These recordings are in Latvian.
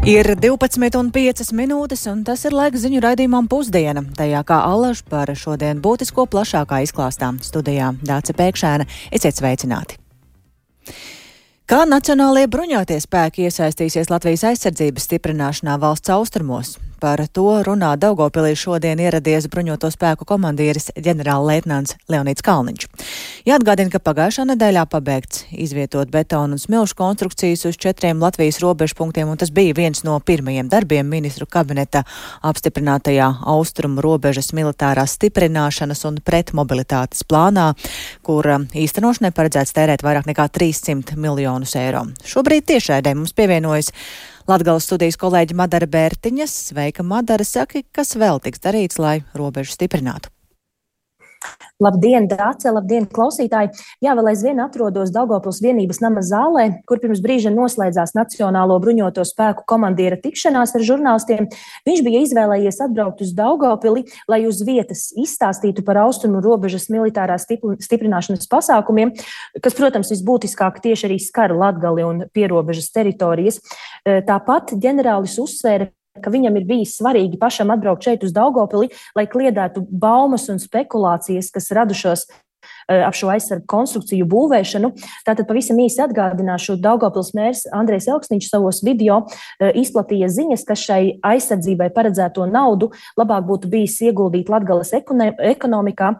Ir 12,5 minūtes, un tas ir laiks ziņu raidījumam Pusdiena. Tajā kā allaž par šodien būtisko plašākā izklāstā. Studijā Dāce Pēkšēna. Esiet sveicināti! Kā nacionālie bruņotie spēki iesaistīsies Latvijas aizsardzības stiprināšanā valsts austrumos? Par to runā Daugavpilī šodien ieradies bruņoto spēku komandieris ģenerālleitnants Leonīds Kalniņš. Jāatgādina, ka pagājušā nedēļā pabeigts izvietot betonu un smilšu konstrukcijas uz 4 Latvijas robežu punktiem, un tas bija viens no pirmajiem darbiem ministru kabineta apstiprinātajā austrumu robežas militārās stiprināšanas un pretmobilitātes plānā, kur īstenošanai paredzēts tērēt vairāk nekā 300 miljonus eiro. Šobrīd tiešraidē mums pievienojas Latgales studijas kolēģi Madara Bērtiņa. Sveika, Madara, saki, kas vēl tiks darīts, lai robežu stiprinātu? Labdien, Dāce, labdien, klausītāji! Jā, vēl aizvien atrodos Daugavpils vienības nama zālē, kur pirms brīža noslēdzās Nacionālo bruņoto spēku komandiera tikšanās ar žurnālistiem. Viņš bija izvēlējies atbraukt uz Daugavpili, lai uz vietas izstāstītu par austrumu robežas militārās stiprināšanas pasākumiem, kas, protams, visbūtiskāk tieši arī skar Latgali un pierobežas teritorijas. Tāpat ģenerālis uzsvēra, ka viņam ir bijis svarīgi pašam atbraukt šeit uz Daugavpili, lai kliedētu baumas un spekulācijas, kas radušos ap šo aizsardzu konstrukciju būvēšanu. Tātad pavisam īsi atgādināšu, Daugavpils mērs Andrejs Elksniņš savos video izplatīja ziņas, ka šai aizsardzībai paredzēto naudu labāk būtu bijis ieguldīt Latgales ekonomikā,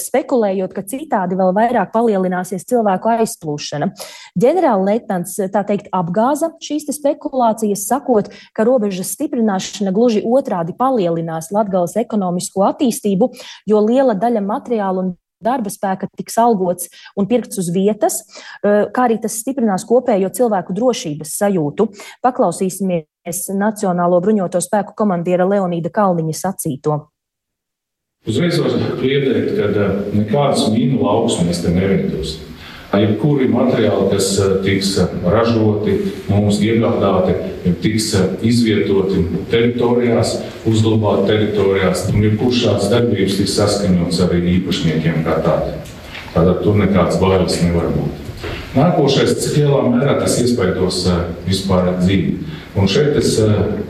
spekulējot, ka citādi vēl vairāk palielināsies cilvēku aizplūšana. Ģenerālleitnants, tā teikt, apgāza šīs spekulācijas, sakot, ka robežas stiprināšana gluži otrādi palielinās Latgales ekonomisko attīstību, jo liela daļa materiālu un darba spēka tiks algots un pirkts uz vietas, kā arī tas stiprinās kopējo cilvēku drošības sajūtu. Paklausīsimies Nacionālo bruņoto spēku komandiera Leonīda Kalniņa sacīto. Uzreiz var ieteikt, ka nekādas mīnu laukus mēs te nevientos. Jebkuri materiāli, kas tiks ražoti, mums iegādāti, tiks izvietoti teritorijās, uzglabāti teritorijās, un jebkurš šāds darbības tiks saskaņots arī īpašniekiem kā tādiem. Tātad tur nekāds bailes nevar būt. Nākošais, cik lielā mērā tas iespaidos vispār dzīvi. Un šeit es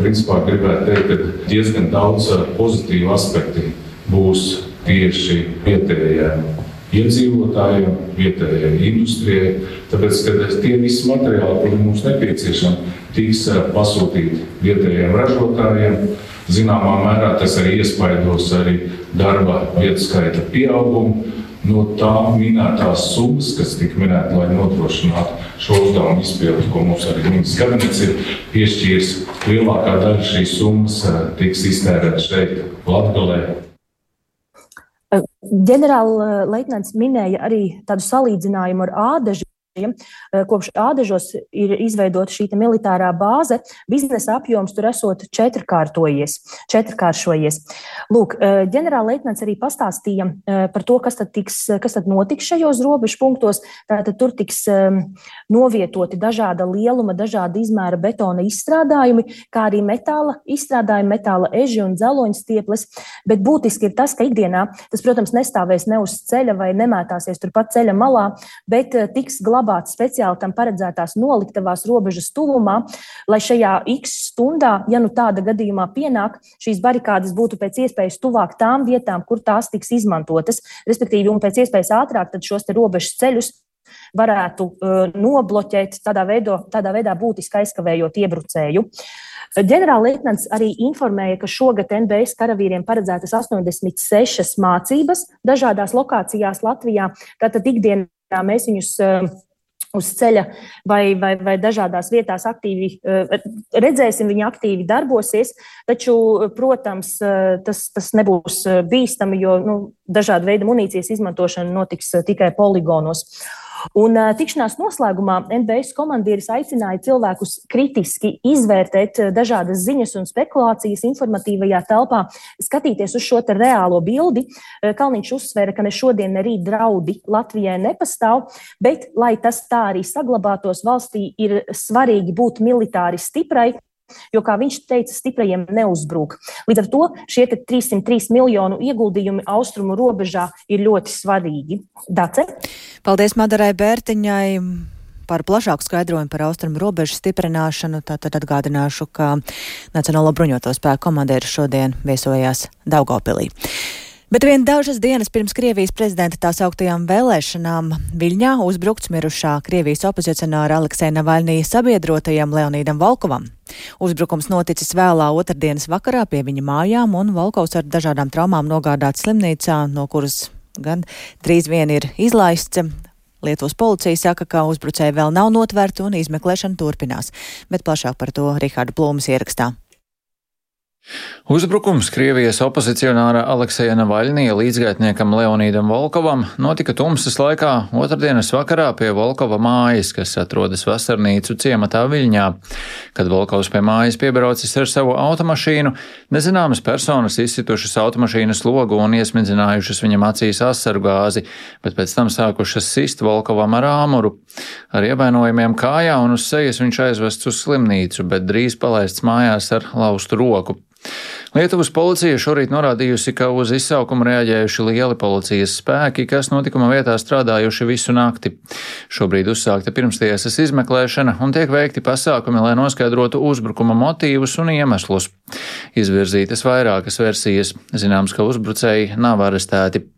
principā gribētu teikt, ka diezgan daudz pozitīvu aspekti būs tieši vietējiem iedzīvotājiem, vietējai industrijai, tāpēc, ka tie visi materiāli, kuri mums nepieciešami, tiks pasūtīti vietējiem ražotājiem. Zināmā mērā tas arī iespaidos arī darba vietu skaita pieaugumu. No tā minētās summas, kas tika minēta, lai nodrošinātu šo uzdevumu izpildi, ko mums arī ministrs kabinets ir piešķīris, lielākā daļa šīs summas tiks iztērēta šeit, Latgalē. Ģenerālleitnants minēja arī tādu salīdzinājumu ar Ādažiem. Kopš Ādažos ir izveidota šī militārā bāze, biznesa apjoms tur esot četrkāršojies. Lūk, ģenerālleitnants arī pastāstīja par to, kas tad notiks šajos robežu punktos. Tātad tur tiks novietoti dažāda lieluma, dažāda izmēra betona izstrādājumi, kā arī metāla izstrādājumi, metāla eži un dzeloņstieples. Bet būtiski ir tas, ka ikdienā tas, protams, nestāvēs ne uz ceļa vai nemētāsies turpat ceļa malā, bet tiks glabāts speciāli tam paredzētās noliktavās robežas tuvumā, lai šajā X stundā, ja nu tāda gadījumā pienāk, šīs barikādes būtu pēc iespējas tuvāk tām vietām, kur tās tiks izmantotas, respektīvi, un pēc iespējas ātrāk tad šos te robežas ceļus varētu nobloķēt, tādā veidā būtiski aizkavējot iebrucēju. Ģenerālleitnants arī informēja, ka šogad NBS karavīriem paredzētas 86 mācības dažādās lokācijās Latvijā, tātad ikdienā mēs viņus uz ceļa vai dažādās vietās aktīvi redzēsim, viņi aktīvi darbosies, taču, protams, tas nebūs bīstami, jo dažāda veida munīcijas izmantošana notiks tikai poligonos. Un tikšanās noslēgumā NBS komandieris aicināja cilvēkus kritiski izvērtēt dažādas ziņas un spekulācijas informatīvajā telpā, skatīties uz šo te reālo bildi. Kalniņš uzsvēra, ka ne šodien, ne rīt draudi Latvijai nepastāv, bet, lai tas tā arī saglabātos, valstī ir svarīgi būt militāri stiprai, jo, kā viņš teica, stiprajiem neuzbrūk. Līdz ar to šie 303 miljonu ieguldījumi austrumu robežā ir ļoti svarīgi. Dace? Paldies Madarai Bērtiņai. par plašāku skaidrojumu par austrumu robežu stiprināšanu. Tātad atgādināšu, ka Nacionālo bruņoto spēku komandieris šodien viesojās Daugavpilī. Bet vien dažas dienas pirms Krievijas prezidenta tā sauktajām vēlēšanām Viļņā uzbrukts mirušā Krievijas opozicionāra Alekseja Navaļnija sabiedrotajam Leonīdam Volkovam. Uzbrukums noticis vēlā otrdienas vakarā pie viņa mājām, un Volkovs ar dažādām traumām nogādāts slimnīcā, no kuras gan drīz vien ir izlaists. Lietuvas policija saka, ka uzbrucēji vēl nav notvērti un izmeklēšana turpinās. Bet plašāk par to Riharda Plūmes ierakstā. Uzbrukums Krievijas opozicionāra Alekseja Navaļnija līdzgaitniekam Leonīdam Volkovam notika tumsas laikā otrdienas vakarā pie Volkova mājas, kas atrodas Vasarnīcu ciematā Viļņā. Kad Volkovs pie mājas piebraucis ar savu automašīnu, nezināmas personas izsitušas automašīnas logu un iesmidzinājušas viņam acīs asaru gāzi, bet pēc tam sākušas sist Volkovam ar āmuru. Ar ievainojumiem kājā un uz sejas viņš aizvests uz slimnīcu, bet drīz palaists mājās ar laustu roku. Lietuvas policija šorīt norādījusi, ka uz izsaukumu reaģējuši lieli policijas spēki, kas notikuma vietā strādājuši visu nakti. Šobrīd uzsākta pirmstiesas izmeklēšana un tiek veikti pasākumi, lai noskaidrotu uzbrukuma motīvus un iemeslus. Izvirzītas vairākas versijas. Zināms, ka uzbrucēji nav arestēti.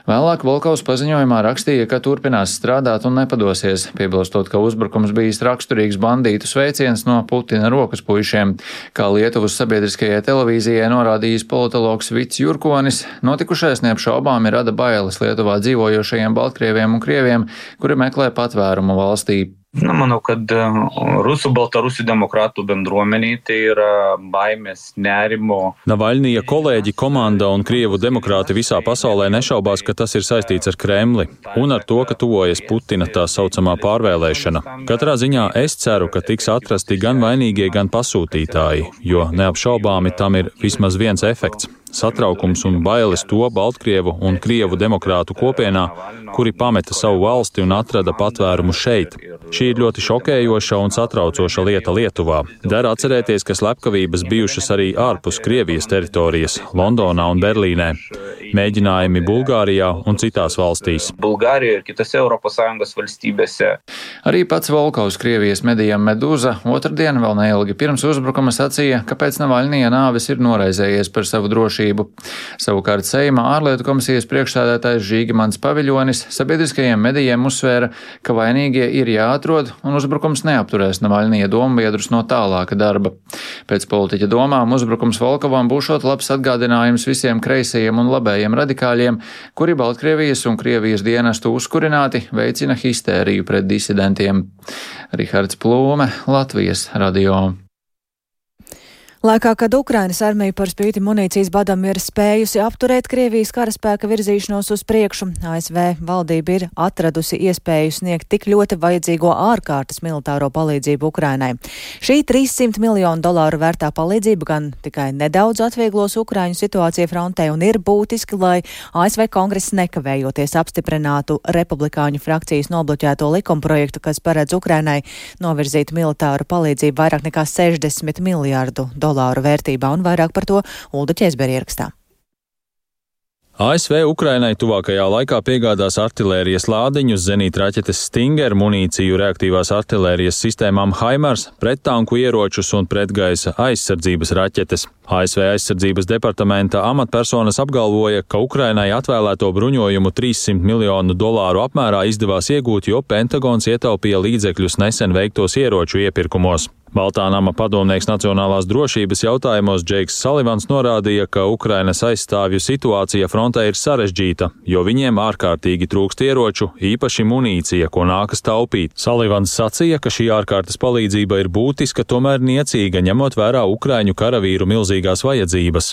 Vēlāk Volkovs paziņojumā rakstīja, ka turpinās strādāt un nepadosies, piebilstot, ka uzbrukums bijis raksturīgs bandītu sveiciens no Putina rokas puišiem. Kā Lietuvas sabiedriskajai televīzijai norādījis politologs Vits Jurkonis, notikušais neapšaubāmi rada bailes Lietuvā dzīvojošajiem baltkrieviem un krieviem, kuri meklē patvērumu valstī. Manau, kad Rusų Baltarusių demokratų bendruomenei tai yra baimės, nerimo. Navaļnija kolēģi, komanda un krievu demokrāti visā pasaulē nešaubās, ka tas ir saistīts ar Kremli un ar to, ka tuvojas Putina tā saucamā pārvēlēšana. Katrā ziņā es ceru, ka tiks atrasti gan vainīgie, gan pasūtītāji, jo neapšaubāmi tam ir vismaz viens efekts. Satraukums un bailes to Baltkrievu un Krievu demokrātu kopienā, kuri pameta savu valsti un atrada patvērumu šeit. Šī ir ļoti šokējoša un satraucoša lieta Lietuvā. Der atcerēties, ka slepkavības bijušas arī ārpus Krievijas teritorijas, Londonā un Berlīnē. Mēģinājumi Bulgārijā un citās valstīs. Bulgārijā ir kitose Eiropas Sąjungos valstybėse. Arī pats Volkovs Krievijas medijam Meduza otrdien vēl neilgi pirms uzbrukuma sacīja, ka pēc Navaļnija nāves ir noraizējies par savu drošību. Savukārt Seima ārlietu komisijas priekšsēdētājs Žīgimants Paviļonis sabiedriskajiem medijiem uzsvēra, ka vainīgie ir jāatrod un uzbrukums neapturēs Navaļnija dombiedrus no tālāka darba. Pēc politiķa domām uzbrukums Volkovam būšot labs atgādinājums visiem kreisajiem un labējiem radikāļiem, kuri Baltkrievijas un Krievijas dienestu uzkurināti veicina histēriju pret disidentiem. Rihards Plūme, Latvijas radio. Laikā, kad Ukrainas armija par spīti munīcijas badam ir spējusi apturēt Krievijas karaspēka virzīšanos uz priekšu, ASV valdība ir atradusi iespēju sniegt tik ļoti vajadzīgo ārkārtas militāro palīdzību Ukrainai. Šī $300 miljonu vērtā palīdzība gan tikai nedaudz atvieglos Ukraiņu situāciju frontē un ir būtiski, lai ASV kongress nekavējoties apstiprinātu republikāņu frakcijas nobloķēto likumprojektu, kas paredz Ukrainai novirzīt militāru palīdzību vairāk nekā $60 miljārdu vērtībā, un vairāk par to Ulda Ķēzberi ierakstā. ASV Ukrainai tuvākajā laikā piegādās artilērijas lādiņus, zenītraķetes Stinger, munīciju reaktīvās artilērijas sistēmām HIMARS, prettanku ieročus un pretgaisa aizsardzības raķetes. ASV aizsardzības departamenta amatpersonas apgalvoja, ka Ukrainai atvēlēto bruņojumu $300 miljonu apmērā izdevās iegūt, jo Pentagons ietaupīja līdzekļus nesen veiktos ieroču iepirkumos. Baltā nama padomnieks nacionālās drošības jautājumos Džeiks Salivans norādīja, ka Ukrainas aizstāvju situācija frontē ir sarežģīta, jo viņiem ārkārtīgi trūkst ieroču, īpaši munīcija, ko nākas taupīt. Salivans sacīja, ka šī ārkārtas palīdzība ir būtiska, tomēr niecīga, ņemot vērā Ukraiņu karavīru milzīgās vajadzības.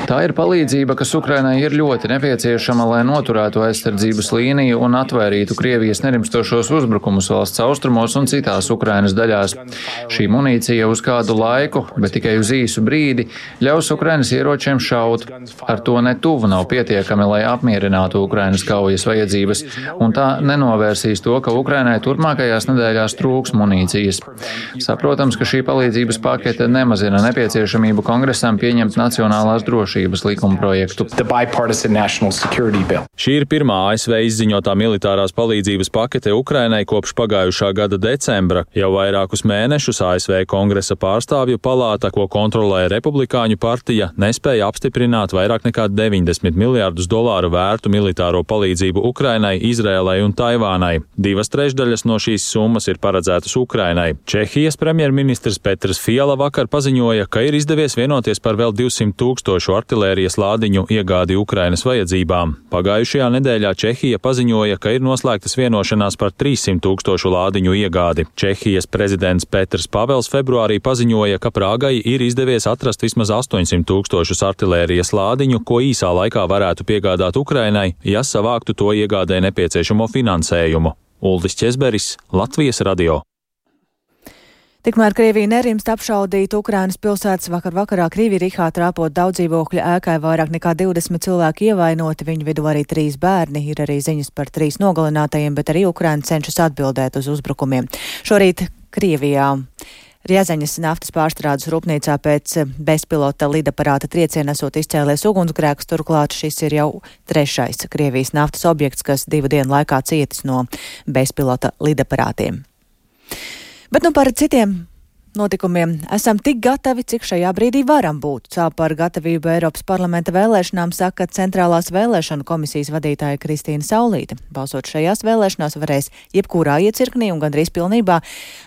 Tā ir palīdzība, kas Ukrainai ir ļoti nepieciešama, lai noturētu aizsardzības līniju un atvairītu Krievijas nerimstošās ilgstošos uzbrukumus valsts austrumos un citās Ukrainas daļās. Šī munīcija uz kādu laiku, bet tikai uz īsu brīdi, ļaus Ukrainas ieročiem šaut. Ar to netuvu nav pietiekami, lai apmierinātu Ukrainas kaujas vajadzības, un tā nenovērsīs to, ka Ukrainai turpmākajās nedēļās trūks munīcijas. Saprotams, ka šī palīdzības pakete nemazina nepieciešamību Kongresam pieņemt nacionālās drošības likumprojektu. Šī ir pirmā ASV izziņotā militārās palīdzības pakete Ukrainai kopš pagājušā gada decembra. Jau vairākus mēnešus ASV Kongresa pārstāvju palāta, ko kontrolē Republikāņu partija, nespēja apstiprināt vairāk nekā $90 miljārdus vērtu militāro palīdzību Ukrainai, Izrēlai un Taivānai. 2/3 no šīs summas ir paredzētas Ukrainai. Čehijas premjerministrs Petrs Fiala vakar paziņoja, ka ir izdevies vienoties par vēl 200,000 artilērijas lādiņu iegādi Ukrainas vajadzībām. Pagājušajā nedēļā Čehija paziņoja, ka ir noslēgtas vienošanās par 300,000 lādiņu iegādi. Čehijas prezidents Petrs Pavels februārī paziņoja, ka Prāgai ir izdevies atrast vismaz 800,000 artilērijas lādiņu, ko īsā laikā varētu piegādāt Ukrainai, ja savāktu to iegādē nepieciešamo finansējumu. Uldis Česberis, Latvijas radio. Tikmēr Krievija nerimst apšaudīt Ukrainas pilsētas. Vakarā Krievija Rihā trāpot daudzdzīvokļu ēkai, vairāk nekā 20 cilvēki ievainoti, viņu vidū arī 3 bērni. Ir arī ziņas par 3 nogalinātajiem, bet arī Ukraina cenšas atbildēt uz uzbrukumiem. Šorīt Krievijā Riezaņas naftas pārstrādes rūpnīcā pēc bezpilota lidaparāta trieciena esot izcēlies ugunsgrēks, turklāt šis ir jau 3. Krievijas naftas objekts, kas 2 dienu laikā cietis no bezpilota lidaparātiem. Bet par citiem notikumiem esam tik gatavi, cik šajā brīdī varam būt. Par gatavību Eiropas parlamenta vēlēšanām saka Centrālās vēlēšanu komisijas vadītāja Kristīna Saulīte. Balsot šajās vēlēšanās varēs jebkurā iecirknī un gandrīz pilnībā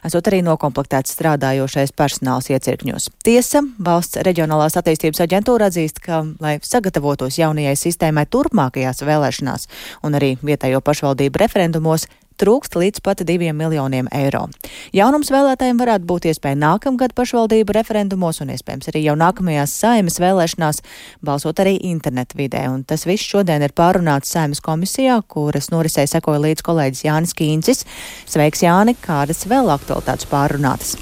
esot arī nokomplektēts strādājošais personāls iecirkņos. Tiesa, valsts reģionālās attīstības aģentūra atzīst, ka, lai sagatavotos jaunajai sistēmai turpmākajās vēlēšanās un arī vietējo pašvaldību referendumos, trūkst līdz pat 2 miljoniem eiro. Jaunums vēlētājiem varētu būt iespēja nākamgad pašvaldību referendumos un iespējams arī jau nākamajās Saeimas vēlēšanās balsot arī internetu vidē. Un tas viss šodien ir pārunāts Saeimas komisijā, kuras norisē sekoja līdz kolēģis Jānis Kīncis. Sveiks, Jāni! Kādas vēl aktualitātes pārunātas?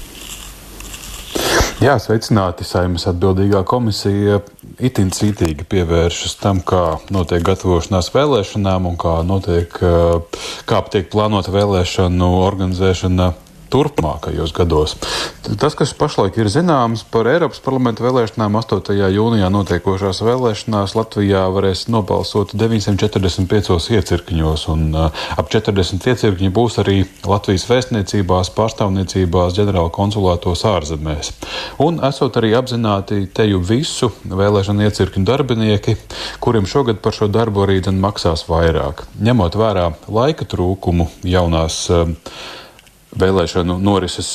Jā, sveicināti. Saeimas atbildīgā komisija itin cītīgi pievēršas tam, kā notiek gatavošanās vēlēšanām un kā tiek plānota vēlēšanu organizēšana turpmākajos gados. Tas, kas pašlaik ir zināms par Eiropas parlamenta vēlēšanām, 8. jūnijā notiekošās vēlēšanās Latvijā varēs nobalsot 945 iecirkņos, un ap 40 iecirkņi būs arī Latvijas vēstniecībās, pārstāvniecībās, ģenerāla konsulātos ārzemēs. Un esot arī apzināti teju visu vēlēšanu iecirkņu darbinieki, kuriem šogad par šo darbu arī maksās vairāk. Ņemot vērā laika trūkumu jaunās vēlēšanu norises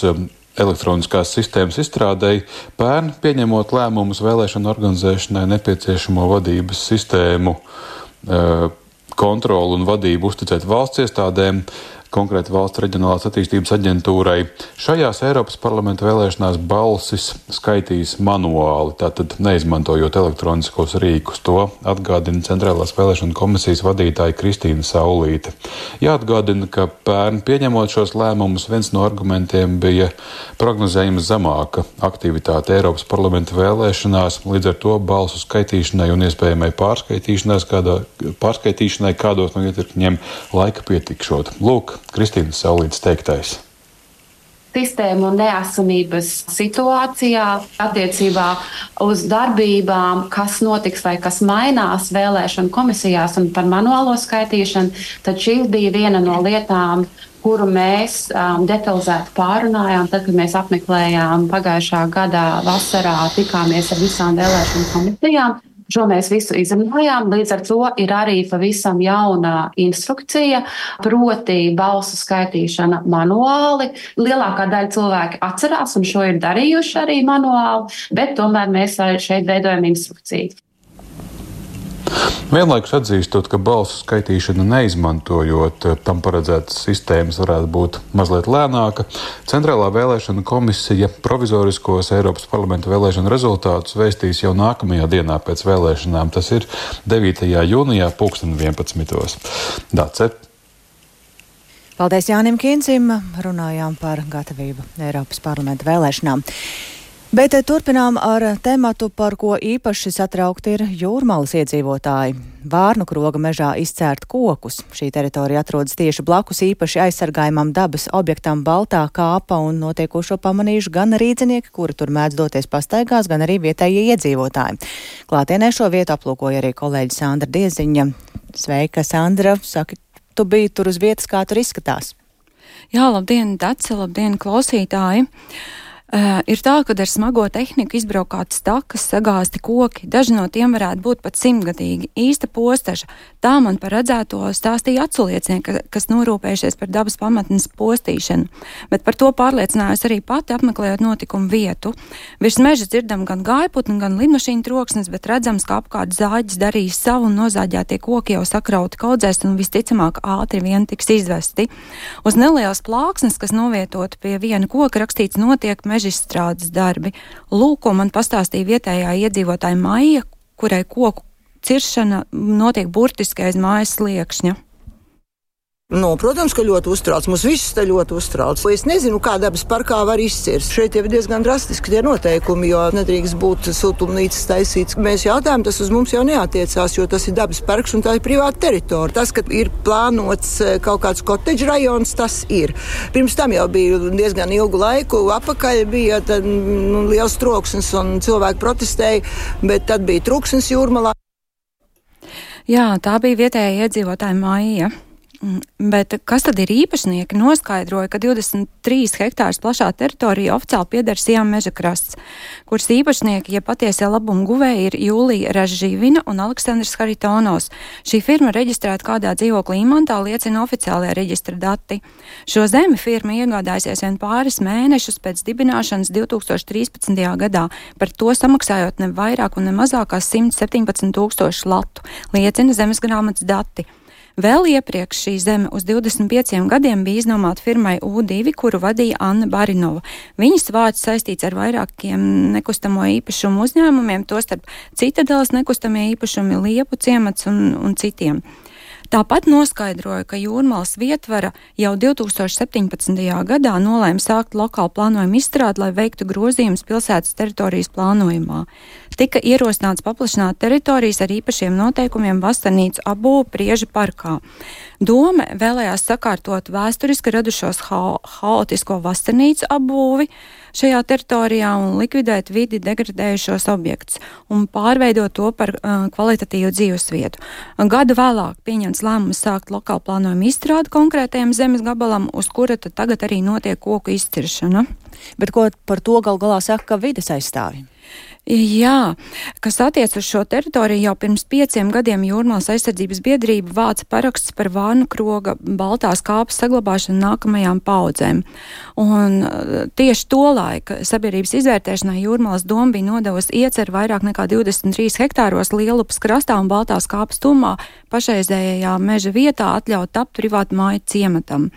elektroniskās sistēmas izstrādēji, pērn pieņemot lēmumus vēlēšanu organizēšanai nepieciešamo vadības sistēmu kontroli un vadību uzticēt valsts iestādēm, konkrēti valsts reģionālās attīstības aģentūrai. Šajās Eiropas parlamenta vēlēšanās balsis skaitīs manuāli, tātad neizmantojot elektroniskos rīkus. To atgādina Centrālās vēlēšanu komisijas vadītāja Kristīna Saulīte. Jāatgādina, ka pērn pieņemot šos lēmumus, viens no argumentiem bija prognozējama zemāka aktivitāte Eiropas parlamenta vēlēšanās, līdz ar to balsu skaitīšanai un iespējamai pārskaitīšanai kādos no iecirkņiem laika pietikšot. Lūk, Kristīnas Saulītes teiktais. Sistēmu neesamības situācijā attiecībā uz darbībām, kas notiks vai kas mainās vēlēšanu komisijās un par manuālo skaitīšanu, tad šī bija viena no lietām, kuru mēs detalizēti pārunājām, tad, kad mēs apmeklējām pagājušā gada vasarā, tikāmies ar visām vēlēšanu komisijām. Šo mēs visu izrunājām, līdz ar to ir arī pavisam jauna instrukcija, proti balsu skaitīšana manuāli. Lielākā daļa cilvēki atcerās un šo ir darījuši arī manuāli, bet tomēr mēs šeit veidojam instrukciju. Vienlaikus atzīstot, ka balsu skaitīšana neizmantojot tam paredzētas sistēmas varētu būt mazliet lēnāka, Centrālā vēlēšana komisija provizoriskos Eiropas parlamenta vēlēšanu rezultātus vēstīs jau nākamajā dienā pēc vēlēšanām. Tas ir 9. jūnijā 11. Dace. Paldies Jānim Kīncim, runājām par gatavību Eiropas parlamenta vēlēšanām. Bet turpinām ar tematu, par ko īpaši satraukti ir Jūrmalas iedzīvotāji. Vārnu kroga mežā izcērt kokus. Šī teritorija atrodas tieši blakus īpaši aizsargājumam dabas objektam Baltā kāpa, un notiekošo pamanījuši gan rīdzinieki, kuri tur mēdz doties pastaigās, gan arī vietējie iedzīvotāji. Klātienē šo vietu aplūkoja arī kolēģi Sandra Dieziņa. Sveika, Sandra! Saki, tu biji tur uz vietas, kā tur izskatās? Jā, labdien, Dace, labdien, klausītāji! Ir tā, ka ar smago tehniku izbraukātas takas, sagāzti koki, daži no tiem varētu būt pat 100-gadīgi. Īsta postaža. Tā man par redzēto stāstīja aculiecinieki, kas norūpējušies par dabas pamatnes postīšanu. Bet par to pārliecinājos arī pati, apmeklējot notikumu vietu. Virs meža dzirdam gan gaiputni, gan lidmašīnu troksnes, bet redzams, ka apkārt zāģis darīs savu, un nozāģētie koki jau sakrauti kaudzēs un visticamāk ātri vien tiks izvesti. Uz nelielas plāksnes, kas novietota pie viena koka, rakstīts notiek mežizstrādes darbi. Lūk, ko man pastāstīja vietējā iedzīvotāja Maija, kurai koku ciršana notiek burtiski aiz mājas sliekšņa. Protams, ka ļoti uztrauc. Mums visus te ļoti uztrauc. Es nezinu, kā dabas parkā var izcirst. Šeit jau ir diezgan drastiski tie noteikumi, jo nedrīkst būt siltumnīcas taisīts. Mēs jautājam, tas uz mums jau neatiecās, jo tas ir dabas parks un tā ir privāta teritorija. Tas, ka ir plānots kaut kāds kotedžu rajons, tas ir. Pirms tam jau bija diezgan ilgu laiku. Apakaļ bija liels troksnis un cilvēki protestēja, bet tad bija truksnis Jūrmalā. Jā, tā bija vietējā iedzīvotāja Maija. Bet kas tad ir īpašnieki? Noskaidroja, ka 23 hektārus plašā teritorija oficiāli pieder Sijām meža krasts, kuras īpašnieki, ja patiesie labumu guvēji, ir Jūlija Ražīvina un Aleksandrs Haritonovs. Šī firma reģistrēta kādā dzīvoklī Imantā, liecina oficiālajā reģistra dati. Šo zemi firma iegādājusies vien pāris mēnešus pēc dibināšanas 2013. gadā, par to samaksājot ne vairāk un ne mazākās 117 000 latu, liecina zemes grāmatas dati. Vēl iepriekš šī zeme uz 25 gadiem bija iznomāta firmai U2, kuru vadīja Anna Barinova. Viņas vārds saistīts ar vairākiem nekustamo īpašumu uzņēmumiem, tostarp Citadeles nekustamie īpašumi, Liepu ciemats un citiem. Tāpat noskaidroja, ka Jūrmalas vietvara jau 2017. gadā nolēma sākt lokālu plānojumu izstrādi, lai veiktu grozījumus pilsētas teritorijas plānojumā. Tika ierosināts paplašināt teritorijas ar īpašiem noteikumiem vasarnīcu apbūvi Priežu parkā. Dome vēlējās sakārtot vēsturiski radušos haotisko vasarnīcu apbūvi šajā teritorijā un likvidēt vidi degradējušos objektus un pārveidot to par kvalitatīvu dzīvesvietu. Gadu vēlāk pieņemts lēmums sākt lokālu plānojumu izstrādi konkrētajam zemes gabalam, uz kura tad tagad arī notiek koku izciršana. Bet ko par to gal galā saka vides aizstāvji? Jā, kas attiec uz šo teritoriju, jau pirms 5 gadiem Jūrmalas aizsardzības biedrība vāca parakstus par vārnu kroga Baltās kāpas saglabāšanu nākamajām paudzēm. Un tieši to laika sabiedrības izvērtēšanai Jūrmalas doma bija nodevusi ieceru vairāk nekā 23 hektāros Lielupas krastā un Baltās kāpas tumā pašreizējā meža vietā atļaut tapt privātu māju ciematam.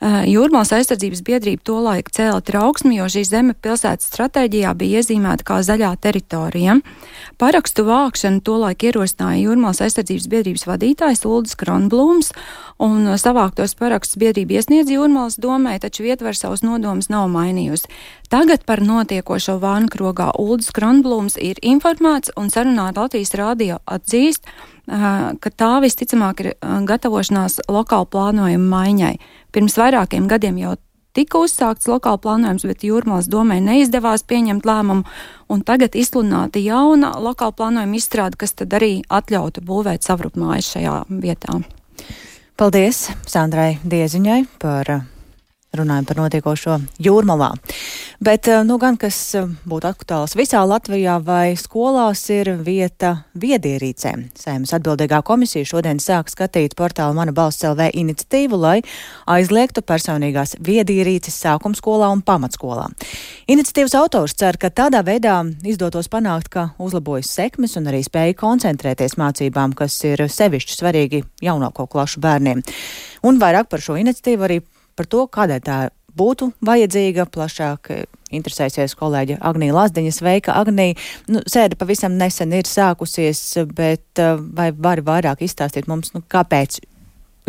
Jūrmalas aizsardzības biedrība tolaik cēla trauksmi, jo šī zeme pilsētas stratēģijā bija iezīmēta kā zaļā teritorija. Parakstu vākšanu tolaik ierosināja Jūrmalas aizsardzības biedrības vadītājs Uldis Kronblūms, un savāktos parakstus biedrība iesniedz Jūrmalas domai, taču vietvara savus nodomus nav mainījusi. Tagad par notiekošo Vārnkrogā Uldis Kronblūms ir informēts un sarunā ar Latvijas radio atzīst, ka tā visticamāk ir gatavošanās lokālu plānojumu maiņai. Pirms vairākiem gadiem jau tika uzsākts lokāla plānojums, bet Jūrmalas domai neizdevās pieņemt lēmumu, un tagad izsludināta jauna lokāla plānojuma izstrāde, kas tad arī atļautu būvēt savrupmājas šajā vietā. Paldies Sandrai Dieziņai par runājumu par notiekošo Jūrmalā. Bet, gan kas būtu aktuāls visā Latvijā, vai skolās ir vieta viedierīcēm? Saeimas atbildīgā komisija šodien sāk skatīt portālu Mana balss LV iniciatīvu, lai aizliegtu personīgās viedierīces sākumskolā un pamatskolā. Iniciatīvas autors cer, ka tādā veidā izdotos panākt, ka uzlabojas sekmes un arī spēja koncentrēties mācībām, kas ir sevišķi svarīgi jaunāko klašu bērniem. Un vairāk par šo iniciatīvu arī par to, kādēļ tā būtu vajadzīga, plašāk interesēsies kolēģe Agnija Lazdiņa. Sveika, Agnija! Sēde pavisam nesen ir sākusies, bet vai vari vairāk izstāstīt mums, kāpēc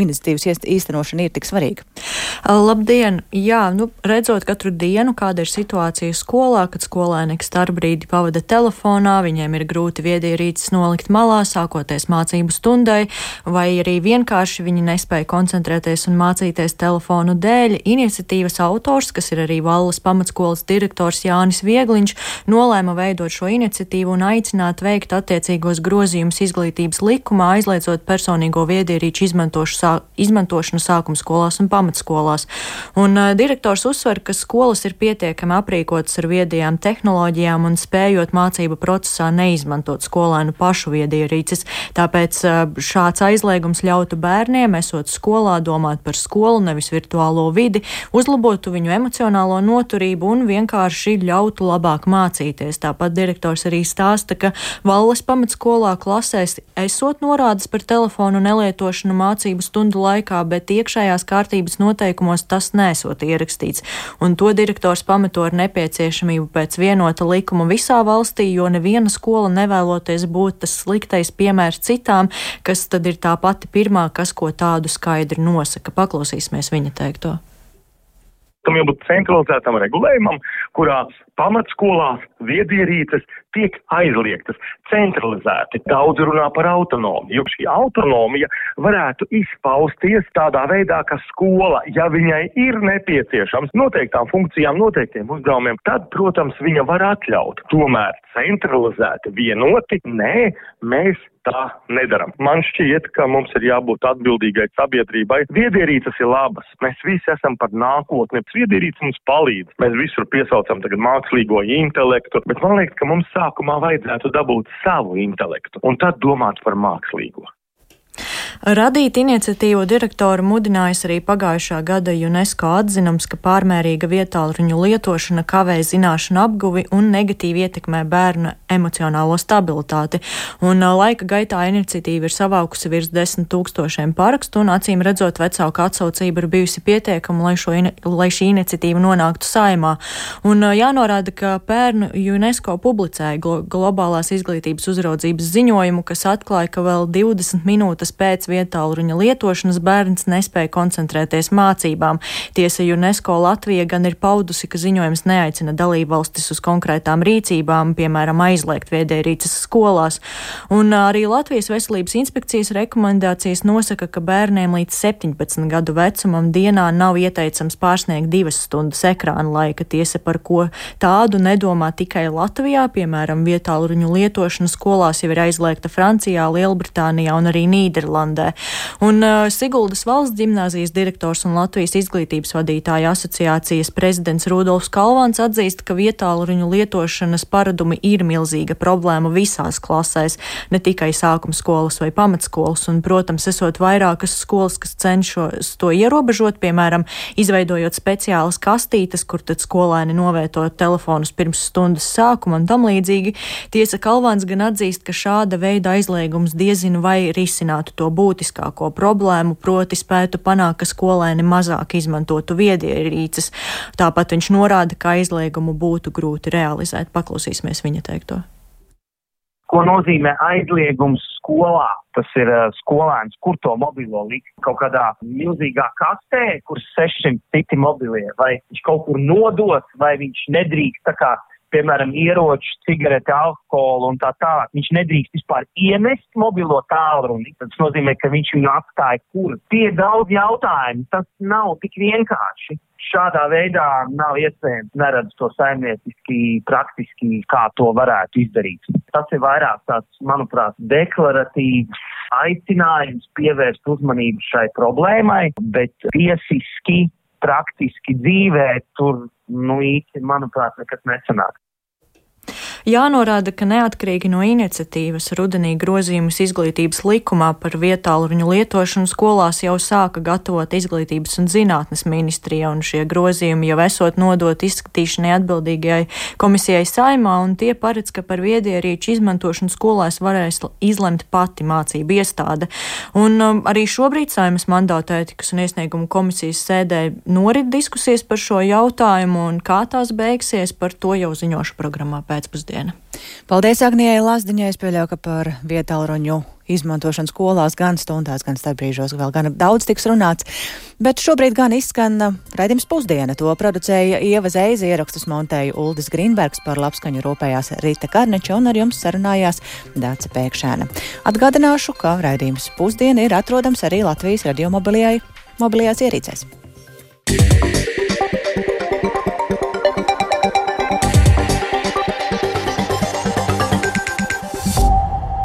iniciatīvas īstenošana ir tik svarīga? Labdien! Jā, redzot katru dienu, kāda ir situācija skolā, kad skolēni starpbrīdi pavada telefonā, viņiem ir grūti viedierīces nolikt malā, sākoties mācību stundai, vai arī vienkārši viņi nespēja koncentrēties un mācīties telefonu dēļ. Iniciatīvas autors, kas ir arī Valles pamatskolas direktors Jānis Viegliņš, nolēma veidot šo iniciatīvu un aicināt veikt attiecīgos grozījumus izglītības likumā, aizliedzot personīgo viedierīču izmantošanu sākumskolās un pamatskolās. Un direktors uzsver, ka skolas ir pietiekami aprīkotas ar viedajām tehnoloģijām un spējot mācību procesā neizmantot skolēnu pašu viedierīces. Tāpēc šāds aizliegums ļautu bērniem, esot skolā, domāt par skolu, nevis virtuālo vidi, uzlabotu viņu emocionālo noturību un vienkārši ļautu labāk mācīties. Tāpat direktors arī stāsta, ka Valles pamatskolā klasēs esot norādes par telefonu nelietošanu mācību stundu laikā, bet iekšējās kārtības noteikumos tas nesot ierakstīts. Un to direktors pamato ar nepieciešamību pēc vienota likuma visā valstī, jo neviena skola nevēloties būt tas sliktais piemērs citām, kas tad ir tā pati pirmā, kas ko tādu skaidri nosaka. Paklausīsimies viņa teikto. Tam jābūt centralizētam regulējumam, kurā pamatskolās viedierīces tiek aizliegtas, centralizēti. Daudz runā par autonomiju, jo šī autonomija varētu izpausties tādā veidā, ka skola, ja viņai ir nepieciešams noteiktām funkcijām, noteiktiem uzdevumiem, tad, protams, viņa var atļaut. Tomēr centralizēti, vienoti, nē, mēs tā nedaram. Man šķiet, ka mums ir jābūt atbildīgai sabiedrībai. Viedierīces ir labas. Mēs visi esam par nākotni. Viedierīces mums palīdz. Mēs visur piesaucam tagad mākslīgo intelektu, bet man liekas, ka mums sākumā vajadzētu dabūt savu intelektu un tad domāt par mākslīgo. Radīt iniciatīvu direktoru mudinājis arī pagājušā gada UNESCO atzinums, ka pārmērīga vietālruņu lietošana kavē zināšanu apguvi un negatīvi ietekmē bērnu emocionālo stabilitāti. Un laika gaitā iniciatīva ir savākusi virs 10 000 parakstu un acīm redzot vecāku atsaucība ir bijusi pietiekama, lai šī iniciatīva nonāktu Saeimā. Un jānorāda, ka pērnu UNESCO publicēja globālās izglītības uzraudzības ziņojumu, kas atklāja, ka vēl 20 minūtes pēc vietālruņa lietošanas bērns nespēja koncentrēties mācībām. Tiesa UNESCO Latvija gan ir paudusi, ka ziņojums neaicina dalībvalstis uz konkrētām rīcībām, piemēram, aizliegt viedierīces skolās. Un arī Latvijas veselības inspekcijas rekomendācijas nosaka, ka bērniem līdz 17 gadu vecumam dienā nav ieteicams pārsniegt 2 stundas ekrāna laika. Tiesa, par ko tādu nedomā tikai Latvijā, piemēram, vietālruņu lietošana skolās jau ir aizliegta Francijā, Lielbritānijā un arī Nīderlandē. Un Siguldas valsts ģimnāzijas direktors un Latvijas izglītības vadītāja asociācijas prezidents Rudolfs Kalvāns atzīst, ka vietālruņu lietošanas paradumi ir milzīga problēma visās klasēs, ne tikai sākumskolas vai pamatskolas, un, protams, esot vairākas skolas, kas cenšas to ierobežot, piemēram, izveidojot speciālas kastītes, kur tad skolēni novieto telefonus pirms stundas sākuma un tam līdzīgi. Tiesa Kalvāns gan atzīst, ka šāda veida aizliegums diezinu vai risinātu to būtiskāko problēmu, proti spētu panākt, ka skolēni mazāk izmantotu viedierīces. Tāpat viņš norāda, ka aizliegumu būtu grūti realizēt. Paklausīsimies viņa teikto. Ko nozīmē aizliegums skolā? Tas ir skolēns, kur to mobilo likt kaut kādā milzīgā kastē, kur 600 citi mobilie, vai viņš kaut kur nodos, vai viņš nedrīkst tā kā, piemēram, ieroči, cigareti, alkoholu un tā tālāk. Viņš nedrīkst vispār ienest mobilo tālruni. Tas nozīmē, ka viņš viņu atstāja kur. Tie ir daudz jautājumu. Tas nav tik vienkārši. Šādā veidā nav iespējams, neredz to saimnieciski, praktiski, kā to varētu izdarīt. Tas ir vairāk tāds, manuprāt, deklaratīvs aicinājums pievērst uzmanību šai problēmai, bet tiesiski, praktiski dzīvē tur, īsti, manuprāt, nekas nesanāk. Jānorāda, ka neatkarīgi no iniciatīvas rudenī grozījumus izglītības likumā par vietālruņu lietošanu skolās jau sāka gatavot Izglītības un zinātnes ministrija, un šie grozījumi jau esot nodot izskatīšanai atbildīgajai komisijai Saeimā, un tie paredz, ka par viedierīču izmantošanu skolās varēs izlemt pati mācību iestāde. Un arī šobrīd Saeimas mandāta ētikas un iesniegumu komisijas sēdē norit diskusijas par šo jautājumu, un kā tās beigsies, par to jau ziņošu programmā pēcpusdienā. Paldies Agnijai Lazdiņai. Es pieļauju, ka par vietālruņu izmantošanu skolās gan stundās, gan starpbrīžos vēl gan daudz tiks runāts. Bet šobrīd gan izskan raidījums Pusdiena. To producēja Ieva Zeize, ierakstus montēja Uldis Grīnbergs, par labskaņu rūpējās Rita Karneča un ar jums sarunājās Dāce Pēkšēna. Atgādināšu, ka raidījums Pusdiena ir atrodams arī Latvijas radiomobilajās ierīcēs.